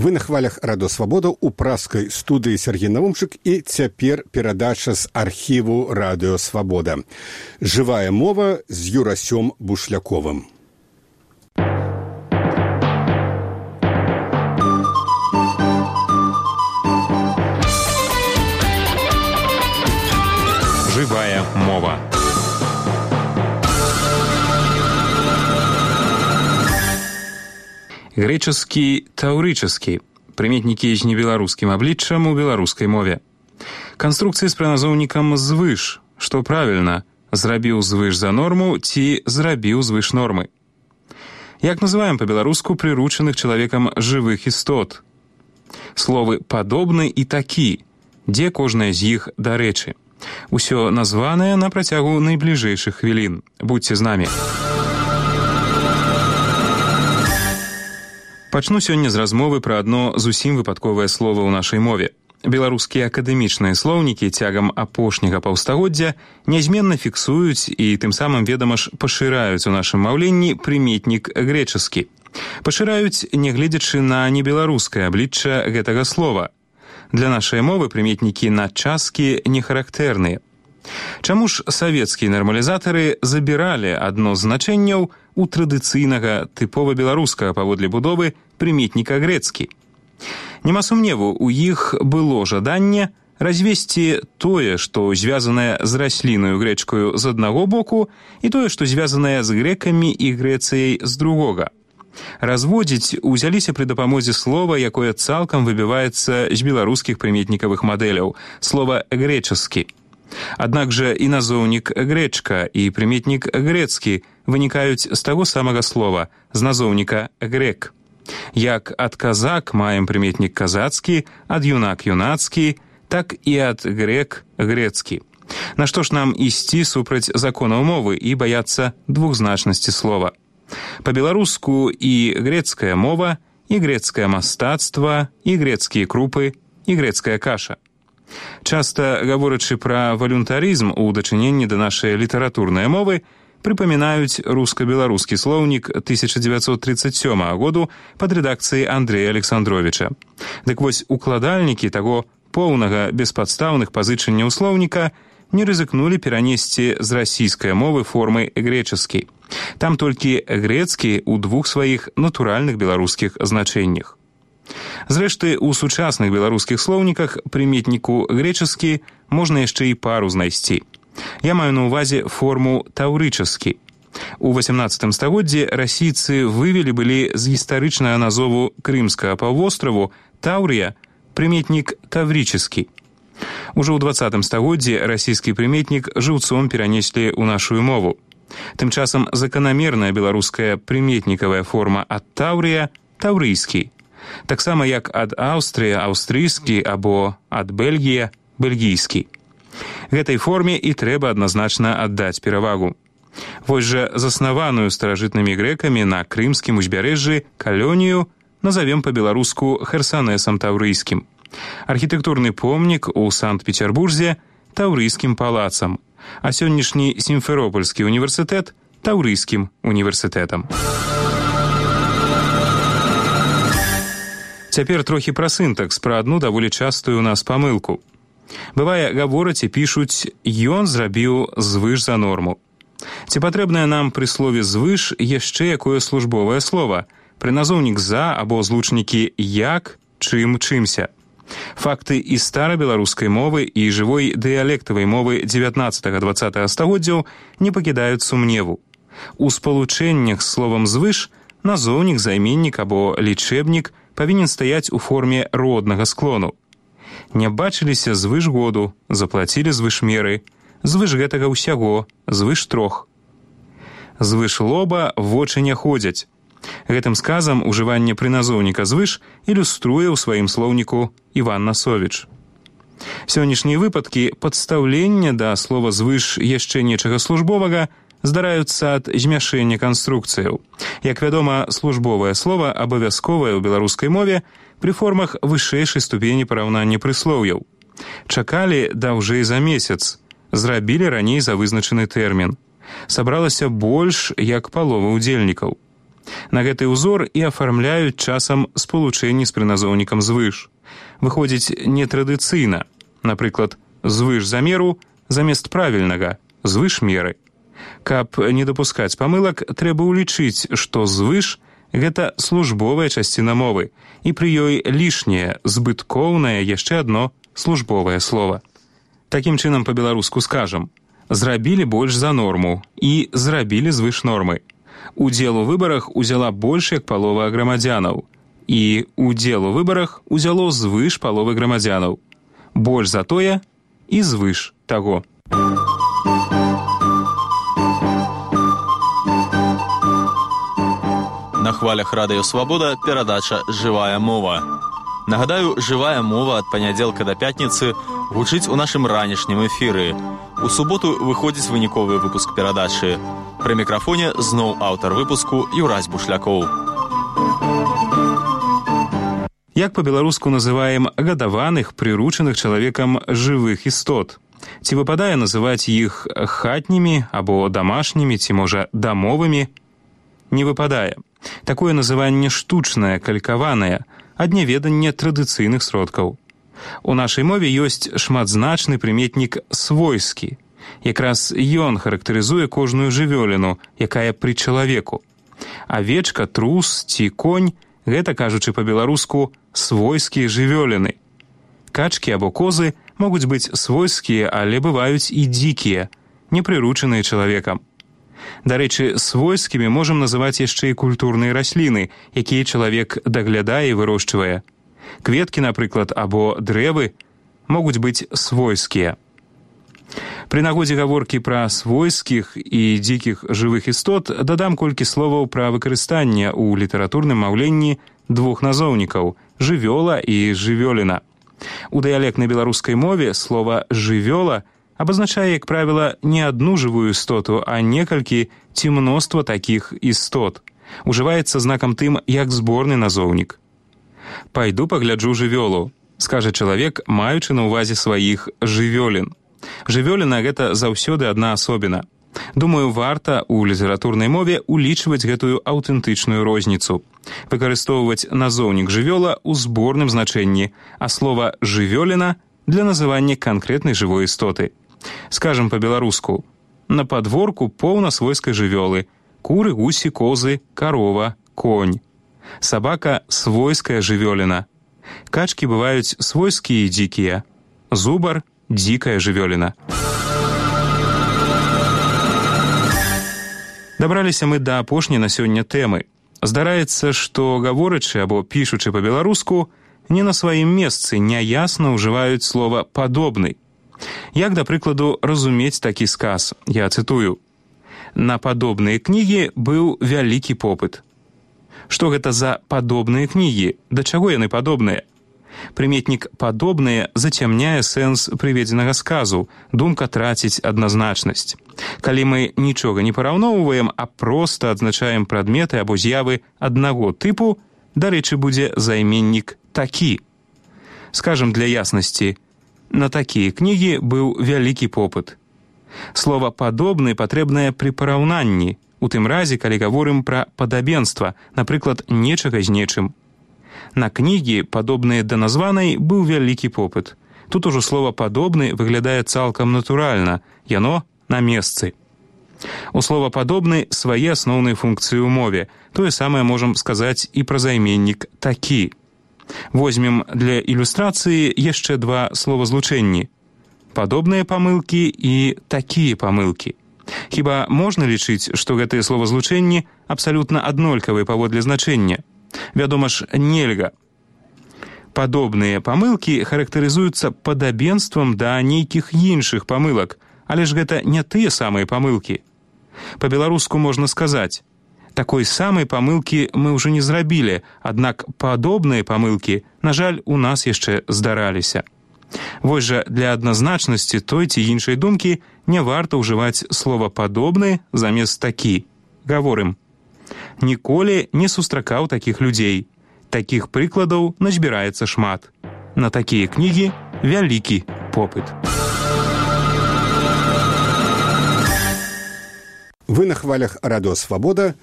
Вы на хвалях Радио Свобода у праскай студыі Сергей Навумчык і цяпер перадача з архіву Радио Свобода. Жывая мова з Юрасём Бушляковым. Живая мова. Грэчаскі, таўрычаскі. Прыметнікі з небеларускім абліччам у беларускай мове. Канструкцыі з прыназоўнікам звыш, што правільна, зрабіў звыш за норму ці зрабіў звыш нормы. Як называем па-беларуску прыручаных чалавекам жывых істот? Словы «падобны» і «такі», дзе кожная з іх дарэчы. Усё названае на працягу найбліжэйшых хвілін. Будзьце з намі. Пачну сёння з размовы пра адно зусім выпадковае слова ў нашай мове. Беларускія акадэмічныя слоўнікі цягам апошняга паўстагоддзя нязменна фіксуюць і тым самым, ведама ж, пашыраюць у нашым маўленні прыметнік грэчаскі. Пашыраюць, нягледзячы на небеларускае аблічча гэтага слова. Для нашай мовы прыметнікі надчаскі не характэрныя. Чаму ж савецкія нармалізатары забіралі адно з значэнняў у традыцыйнага тыпова беларускага паводле будовы прыметніка грэцкі? Няма сумневу, у іх было жаданне развесці тое, што звязанае з раслінаю грэчкаю з аднаго боку, і тое, што звязанае з грэкамі і Грэцыяй з другога. Разводзіць узяліся пры дапамозе слова, якое цалкам выбіваецца з беларускіх прыметнікавых мадэляў, слова «грэчаскі». Аднак жа і назоўнік «грэчка» і прыметнік «грэцкі» вынікаюць з таго самага слова, з назоўніка «грэк». Як ад казак маем прыметнік «казацкі», ад юнак «юнацкі», так і ад грэк «грэцкі». Нашто ж нам ісці супраць законаў мовы і баяцца двухзначнасці слова? Па-беларуску і грэцкая мова, і грэцкае мастацтва, і грэцкія крупы, і грэцкая каша. Часта, гаворачы пра валюнтарызм у дачыненні да нашай літаратурнай мовы, прыпамінаюць руска-беларускі слоўнік 1937 году пад рэдакцыяй Андрэя Александровіча. Дык вось укладальнікі таго поўнага беспадстаўных пазычанняў слоўніка не рызыкнулі перанесці з расійскай мовы формы грэчаскі. Там толькі грэцкі ў двух сваіх натуральных беларускіх значэннях. Зрэшты, у сучасных беларускіх слоўніках прыметніку грэчаскі можна яшчэ і пару знайсці. Я маю на ўвазе форму таўрычаскі. У 18 стагоддзі расійцы вывелі былі з гістарычнага назову Крымскага паўвостраву Таўрія прыметнік таврычаскі. Ужо ў 20 стагоддзі расійскі прыметнік жыўцом перанеслі ў нашу мову. Тым часам заканамерная беларуская прыметнікавая форма ад Таўрія таўрыйскі. Таксама як ад Аўстрыя аўстрыйскі або ад Бельгія бельгійскі. Гэтай форме і трэба адназначна аддаць перавагу. Вось жа заснаваную старажытнымі грэкамі на крымскім узбярэжжы калонію назавем па-беларуску Херсанесам таўрыйскім. Архітэктурны помнік у Санкт-Петербурзе таўрыйскім палацам, а сённяшні Сімферопольскі універсітэт таўрыйскім універсітэтам. Цяпер трохі пра сінтакс, пра адну даволі частую ў нас памылку. Бывае, гавораць і пішуць «ён зрабіў звыш за норму». Ці патрэбнае нам пры слове «звыш» яшчэ якое службовае слова, прыназоўнік «за» або злучнікі «як», «чым», «чымся». Факты і старабеларускай мовы і жывой дыялектавай мовы 19-20 стагоддзяў не пакідаюць сумневу. У спалучэннях з словам «звыш» назоўнік, займеннік або лічэбнік павінен стаяць у форме роднага склону. Не бачыліся звыш году, заплацілі звыш меры, звыш гэтага ўсяго, звыш трох. Звыш лоба вочы не ходзяць. Гэтым сказам ужыванне прыназоўніка звыш ілюструе ў сваім слоўніку Іван Насовіч. Сённяшнія выпадкі падстаўлення да слова звыш яшчэ нечага службовага здараюцца ад змяшэння канструкцыяў. Як вядома, службовае слова абавязковае ў беларускай мове пры формах вышэйшай ступені параўнання прыслоўяў. Чакалі даўжэй за месяц, зрабілі раней за вызначаны тэрмін. Сабралася больш як палова ўдзельнікаў. На гэты ўзор і афармляюць часам спалучэнні з прыназоўнікам звыш. Выходзіць нетрадыцыйна. Напрыклад, звыш замеру замест правільнага, звыш меры. Каб не дапускаць памылак, трэба ўлічыць, што звыш – гэта службовая часціна мовы, і пры ёй лішняе, збыткоўнае яшчэ адно службовае слова. Такім чынам па-беларуску скажам: зрабілі больш за норму і зрабілі звыш нормы. Удзел у выбарах узяла больш як палова грамадзянаў, і удзел у выбарах узяло звыш паловы грамадзянаў. Больш за тое і звыш таго. На хвалях Радыё Свабода перадача «Жывая мова». Нагадаю, «Жывая мова» ад панядзелка да пятніцы гучыць у нашым ранішнім эфіры. У суботу выходзіць выніковы выпуск перадачы. Пры мікрафоне зноў аўтар выпуску Юрась Бушлякоў. Як па-беларуску называем гадаваных, прыручаных чалавекам жывых істот? Ці выпадае называць іх хатнімі або дамашнімі, ці, можа, дамовымі? Не выпадае. Такое называнне штучнае, калькаванае, ад няведання традыцыйных сродкаў. У нашай мове ёсць шматзначны прыметнік «свойскі». Якраз ён характарызуе кожную жывёліну, якая пры чалавеку. Авечка, трус ці конь – гэта, кажучы па-беларуску, свойскія жывёліны. Качкі або козы могуць быць свойскія, але бываюць і дзікія, непрыручаныя чалавекам. Дарэчы, свойскімі можам называць яшчэ і культурныя расліны, якія чалавек даглядае і вырошчвае. Кветкі, напрыклад, або дрэвы могуць быць свойскія. Пры нагодзе гаворкі пра свойскіх і дзікіх жывых істот дадам колькі словаў пра выкарыстанне ў літаратурным маўленні двух назоўнікаў – жывёла і жывёліна. У дыялектнай беларускай мове слова «жывёла» абазначае, як правіла, не адну жывую істоту, а некалькі ці мноства такіх істот. Ужываецца знакам тым, як зборны назоўнік. «Пайду пагляджу жывёлу», скажа чалавек, маючы на ўвазе сваіх жывёлін. Жывёліна – гэта заўсёды адна асобіна. Думаю, варта ў літаратурнай мове улічваць гэтую аўтэнтычную розніцу. Выкарыстоўваць назоўнік жывёла ў зборным значэнні, а слова «жывёліна» для называння канкрэтнай жывой істоты. Скажам па-беларуску: на падворку поўна свойскай жывёлы: куры, гусі, козы, карова, конь. Сабака – свойская жывёліна. Качкі бываюць свойскія і дзікія. Зубар – дзікая жывёліна. Дабраліся мы да апошняй на сёння тэмы. Здараецца, што гаворачы або пішучы па-беларуску не на сваім месцы няясна ўжываюць слова «падобны». Як, да прыкладу, разумець такі сказ? Я цытую: «На падобныя кнігі быў вялікі попыт». Што гэта за падобныя кнігі? Да чаго яны падобныя? Прыметнік «падобныя» зацямняе сэнс прыведзенага сказу, думка траціць адназначнасць. Калі мы нічога не параўноўваем, а проста адзначаем прадметы або з'явы аднаго тыпу, дарэчы, будзе займеннік «такі». Скажам для яснасці: на такія кнігі быў вялікі попыт. Слова «падобны» патрэбнае пры параўнанні, у тым разе, калі гаворым пра падабенства, напрыклад, нечага з нечым. На кнігі, падобныя да названай, быў вялікі попыт. Тут ужо слова «падобны» выглядае цалкам натуральна, яно на месцы. У слова «падобны» свае асноўныя функцыі ў мове. Тое самае можам сказаць і пра займеннік «такі». Возьмем для ілюстрацыі яшчэ два словазлучэнні: падобныя памылкі і такія памылкі. Хіба можна лічыць, што гэтыя словазлучэнні абсалютна аднолькавыя паводле значэння? Вядома ж, нельга. Падобныя памылкі характарызуюцца падабенствам да нейкіх іншых памылак, але ж гэта не тыя самыя памылкі. Па-беларуску можна сказаць: такой самай памылкі мы ўжо не зрабілі, аднак падобныя памылкі, на жаль, у нас яшчэ здараліся. Вось жа для адназначнасці той ці іншай думкі не варта ўжываць слова «падобны» замест «такі». Гаворым: ніколі не сустракаў такіх людзей. Такіх прыкладаў назбіраецца шмат. На такія кнігі вялікі попыт. Вы на хвалях Радыё Свабода.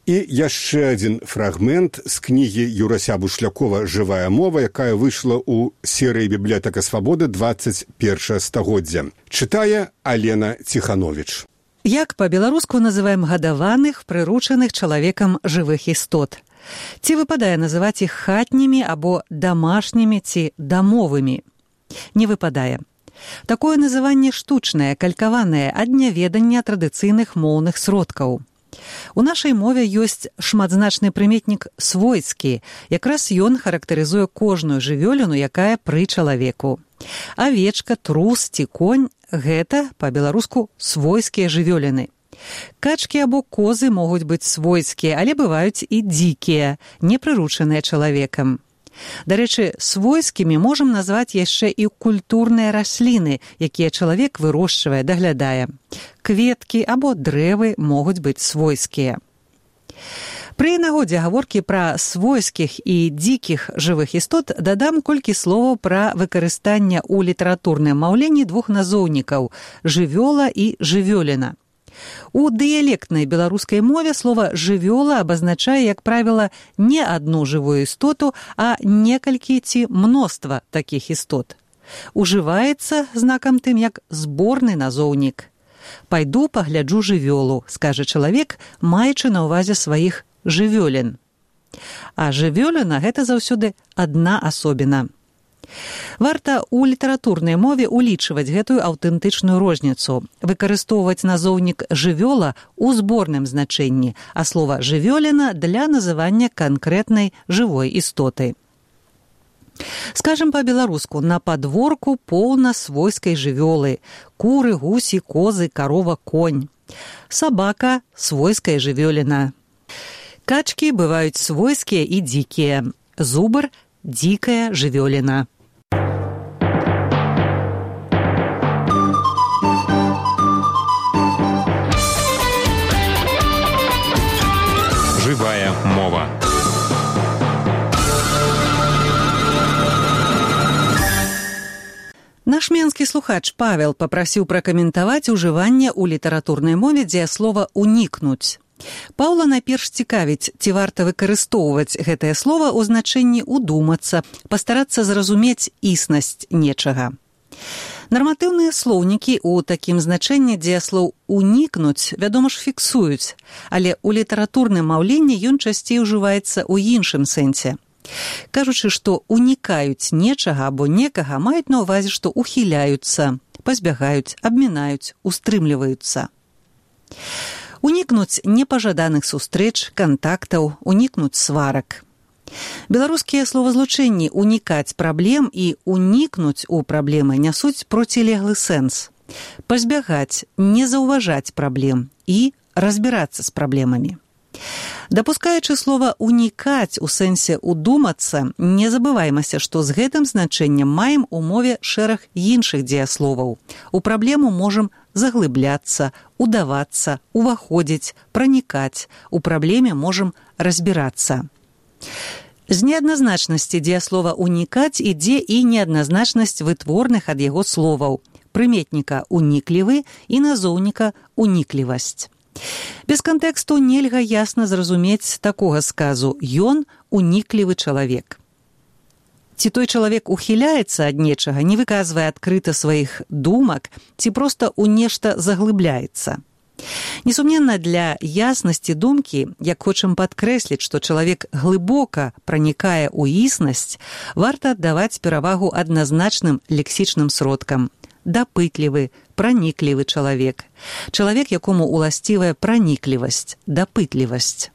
І яшчэ адзін фрагмент з кнігі Юрася Бушлякова «Жывая мова», якая выйшла ў серыі «Бібліятэка свабоды» 21 стагоддзя. Чытае Алена Ціхановіч. Як па-беларуску называем гадаваных, прыручаных чалавекам жывых істот? Ці выпадае называць іх хатнімі або дамашнімі ці дамовымі? Не выпадае. Такое называнне штучнае, калькаванае ад няведання традыцыйных моўных сродкаў. У нашай мове ёсць шматзначны прыметнік «свойскі». Якраз ён характарызуе кожную жывёліну, якая пры чалавеку. Авечка, трус ці конь – гэта, па-беларуску, свойскія жывёліны. Качкі або козы могуць быць свойскія, але бываюць і дзікія, непрыручаныя чалавекам. Дарэчы, свойскімі можам назваць яшчэ і культурныя расліны, якія чалавек вырошчвае, даглядае. Кветкі або дрэвы могуць быць свойскія. Пры нагодзе гаворкі пра свойскіх і дзікіх жывых істот дадам колькі словаў пра выкарыстанне ў літаратурным маўленні двух назоўнікаў – жывёла і жывёліна. У дыялектнай беларускай мове слова «жывёла» абазначае, як правіла, не адну жывую істоту, а некалькі ці мноства такіх істот. Ужываецца знакам тым, як зборны назоўнік. «Пайду пагляджу жывёлу», скажа чалавек, маючы на ўвазе сваіх жывёлін. А жывёліна – гэта заўсёды адна асобіна. Варта ў літаратурнай мове улічваць гэтую аўтэнтычную розніцу, выкарыстоўваць назоўнік «жывёла» у зборным значэнні, а слова «жывёліна» для называння канкрэтнай жывой істоты. Скажам па-беларуску, на падворку поўна свойскай жывёлы – куры, гусі, козы, карова, конь. Сабака – свойская жывёліна. Качкі бываюць свойскія і дзікія. Зубр – дзікая жывёліна. Жывая мова. Наш менскі слухач Павел папрасіў пракаментаваць ужыванне ў літаратурнай мове дзеяслова «унікнуць». Паўла найперш цікавіць, ці варта выкарыстоўваць гэтае слова ў значэнні «удумацца», пастарацца зразумець існасць нечага. Нарматыўныя слоўнікі ў такім значэнні дзеяслоў «унікнуць», вядома ж, фіксуюць, але ў літаратурным маўленні ён часцей ужываецца ў іншым сэнсе. Кажучы, што унікаюць нечага або некага, маюць на ўвазе, што ухіляюцца, пазбягаюць, абмінаюць, устрымліваюцца. Унікнуць непажаданых сустрэч, кантактаў, унікнуць сварак. Беларускія словазлучэнні «унікаць праблем» і «унікнуць у праблемы» нясуць процілеглы сэнс. Пазбягаць, не заўважаць праблем і разбірацца з праблемамі. Дапускаючы слова «унікаць» у сэнсе «удумацца», не забываймася, што з гэтым значэннем маем у мове шэраг іншых дзеясловаў. У праблему можам заглыбляцца, удавацца, уваходзіць, пранікаць. У праблеме можам разбірацца. З неадназначнасці дзеяслова «унікаць» ідзе і неадназначнасць вытворных ад яго словаў – прыметніка «уніклівы» і назоўніка «уніклівасць». Без кантэксту нельга ясна зразумець такога сказу «ён уніклівы чалавек». Ці той чалавек ухіляецца ад нечага, не выказвае адкрыта сваіх думак, ці проста ў нешта заглыбляецца. Несумненна, для яснасці думкі, як хочам падкрэсліць, што чалавек глыбока пранікае ў існасць, варта аддаваць перавагу адназначным лексічным сродкам. Дапытлівы, праніклівы чалавек. Чалавек, якому уласцівая праніклівасць, дапытлівасць.